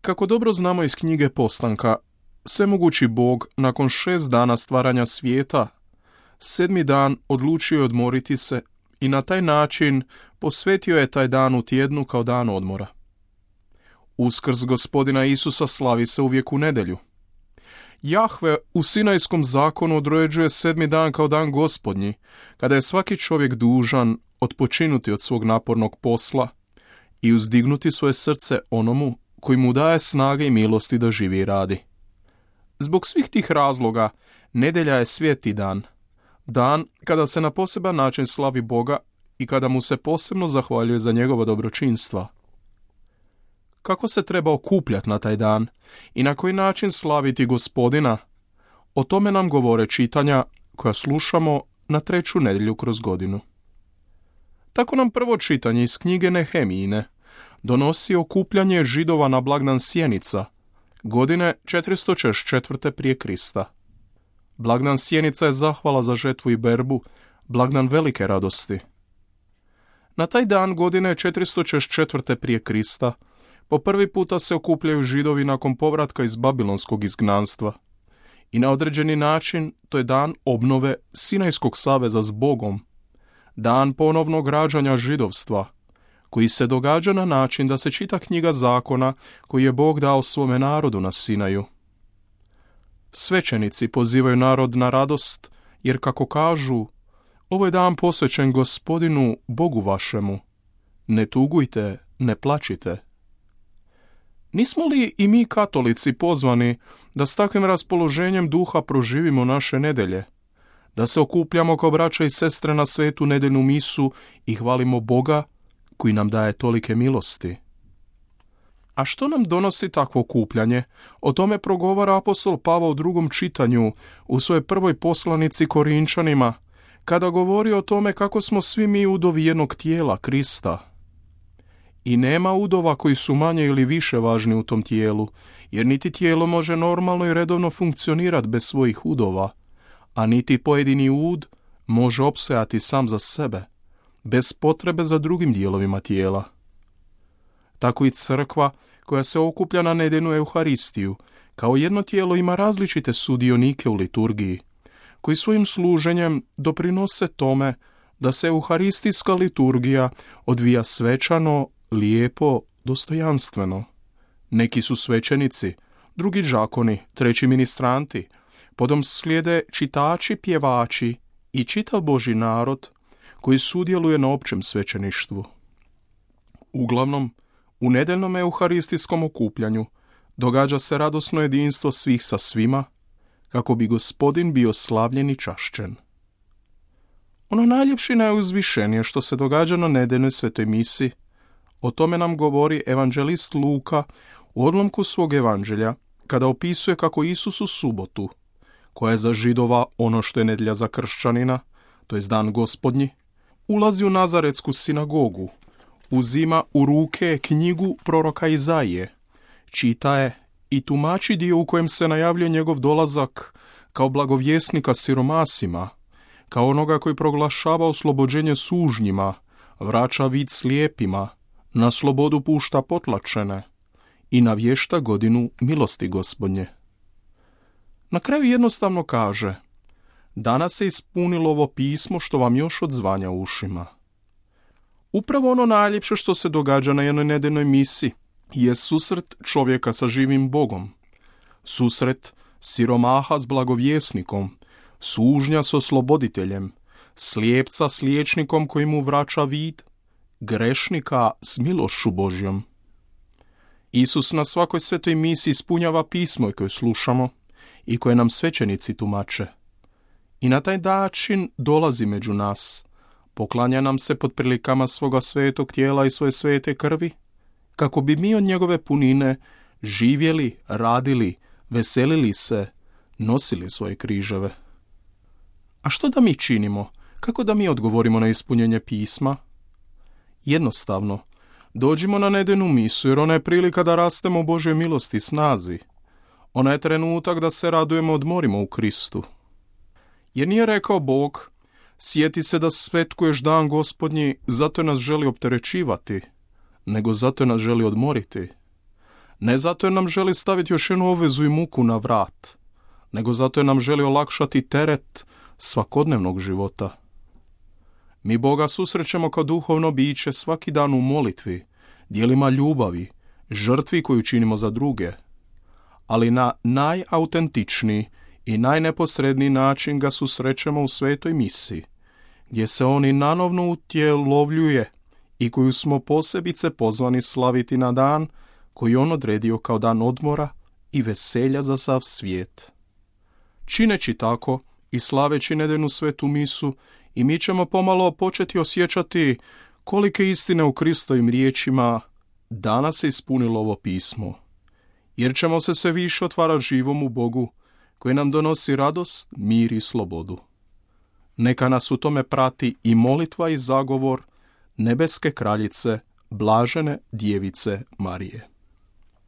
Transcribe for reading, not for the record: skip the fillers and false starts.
Kako dobro znamo iz knjige Postanka, svemogući Bog nakon 6 dana stvaranja svijeta, 7. dan odlučio je odmoriti se i na taj način posvetio je taj dan u tjednu kao dan odmora. Uskrs Gospodina Isusa slavi se uvijek u nedjelju. Jahve u Sinajskom zakonu određuje 7. dan kao dan Gospodnji, kada je svaki čovjek dužan odpočinuti od svog napornog posla i uzdignuti svoje srce onomu koji mu daje snage i milosti da živi i radi. Zbog svih tih razloga, nedjelja je sveti dan, dan kada se na poseban način slavi Boga i kada mu se posebno zahvaljuje za njegova dobročinstva. Kako se treba okupljati na taj dan i na koji način slaviti Gospodina, o tome nam govore čitanja koja slušamo na 3. nedjelju kroz godinu. Tako nam prvo čitanje iz knjige Nehemijine donosi okupljanje Židova na blagdan Sjenica, godine 444. prije Krista. Blagdan Sjenica je zahvala za žetvu i berbu, blagdan velike radosti. Na taj dan godine 444. prije Krista po prvi puta se okupljaju Židovi nakon povratka iz Babilonskog izgnanstva. I na određeni način to je dan obnove Sinajskog saveza s Bogom, dan ponovnog rađanja židovstva, koji se događa na način da se čita knjiga zakona koji je Bog dao svome narodu na Sinaju. Svećenici pozivaju narod na radost, jer kako kažu, ovo je dan posvećen Gospodinu, Bogu vašemu. Ne tugujte, ne plačite. Nismo li i mi katolici pozvani da s takvim raspoloženjem duha proživimo naše nedjelje, da se okupljamo kao braća i sestre na svetu nedeljnu misu i hvalimo Boga koji nam daje tolike milosti? A što nam donosi takvo okupljanje? O tome progovara apostol Pavao u 2. čitanju u svojoj prvoj poslanici Korinčanima, kada govori o tome kako smo svi mi udovi jednog tijela, Krista. I nema udova koji su manje ili više važni u tom tijelu, jer niti tijelo može normalno i redovno funkcionirati bez svojih udova, a niti pojedini ud može opstojati sam za sebe, bez potrebe za drugim dijelovima tijela. Tako i crkva, koja se okuplja na nedeljnu Euharistiju, kao jedno tijelo ima različite sudionike u liturgiji, koji svojim služenjem doprinose tome da se euharistijska liturgija odvija svečano, lijepo, dostojanstveno. Neki su svećenici, drugi đakoni, treći ministranti, potom slijede čitači, pjevači i čitav Božji narod koji sudjeluje na općem svećeništvu. Uglavnom, u nedeljnom euharistijskom okupljanju događa se radosno jedinstvo svih sa svima, kako bi Gospodin bio slavljen i čašćen. Ono najljepše i najuzvišenije što se događa na nedeljnoj svetoj misi, o tome nam govori evanđelist Luka u odlomku svog evanđelja, kada opisuje kako Isus u subotu, koja je za Židova ono što je nedjelja za kršćanina, to je dan Gospodnji, ulazi u Nazaretsku sinagogu, uzima u ruke knjigu proroka Izaije, čita je i tumači dio u kojem se najavljuje njegov dolazak kao blagovjesnika siromasima, kao onoga koji proglašava oslobođenje sužnjima, vraća vid slijepima, na slobodu pušta potlačene i navješta godinu milosti Gospodnje. Na kraju jednostavno kaže: danas se ispunilo ovo pismo što vam još odzvanja u ušima. Upravo ono najljepše što se događa na jednoj nedeljnoj misi je susret čovjeka sa živim Bogom, susret siromaha s blagovjesnikom, sužnja s osloboditeljem, slijepca s liječnikom koji mu vraća vid, grešnika s milošću Božjom. Isus na svakoj svetoj misi ispunjava pismo koje slušamo i koje nam svećenici tumače. I na taj način dolazi među nas, poklanja nam se pod prilikama svoga svetog tijela i svoje svete krvi, kako bi mi od njegove punine živjeli, radili, veselili se, nosili svoje križeve. A što da mi činimo? Kako da mi odgovorimo na ispunjenje pisma? Jednostavno, dođimo na nedeljnu misu, jer ona je prilika da rastemo u Božjoj milosti i snazi. Ona je trenutak da se radujemo, odmorimo u Kristu. Jer nije rekao Bog: sjeti se da svetkuješ dan Gospodnji, zato nas želi opterećivati, nego zato nas želi odmoriti. Ne zato jer nam želi staviti još jednu obvezu i muku na vrat, nego zato jer nam želi olakšati teret svakodnevnog života. Mi Boga susrećemo kao duhovno biće svaki dan u molitvi, djelima ljubavi, žrtvi koju činimo za druge, ali na najautentičniji i najneposredniji način ga susrećemo u svetoj misi, gdje se on i nanovno utjelovljuje i koju smo posebice pozvani slaviti na dan koji on odredio kao dan odmora i veselja za sav svijet. Čineći tako i slaveći nedeljnu svetu misu, i mi ćemo pomalo početi osjećati kolike istine u Kristovim riječima danas se ispunilo ovo pismo, jer ćemo se sve više otvarati živomu Bogu, koji nam donosi radost, mir i slobodu. Neka nas u tome prati i molitva i zagovor nebeske kraljice, blažene djevice Marije.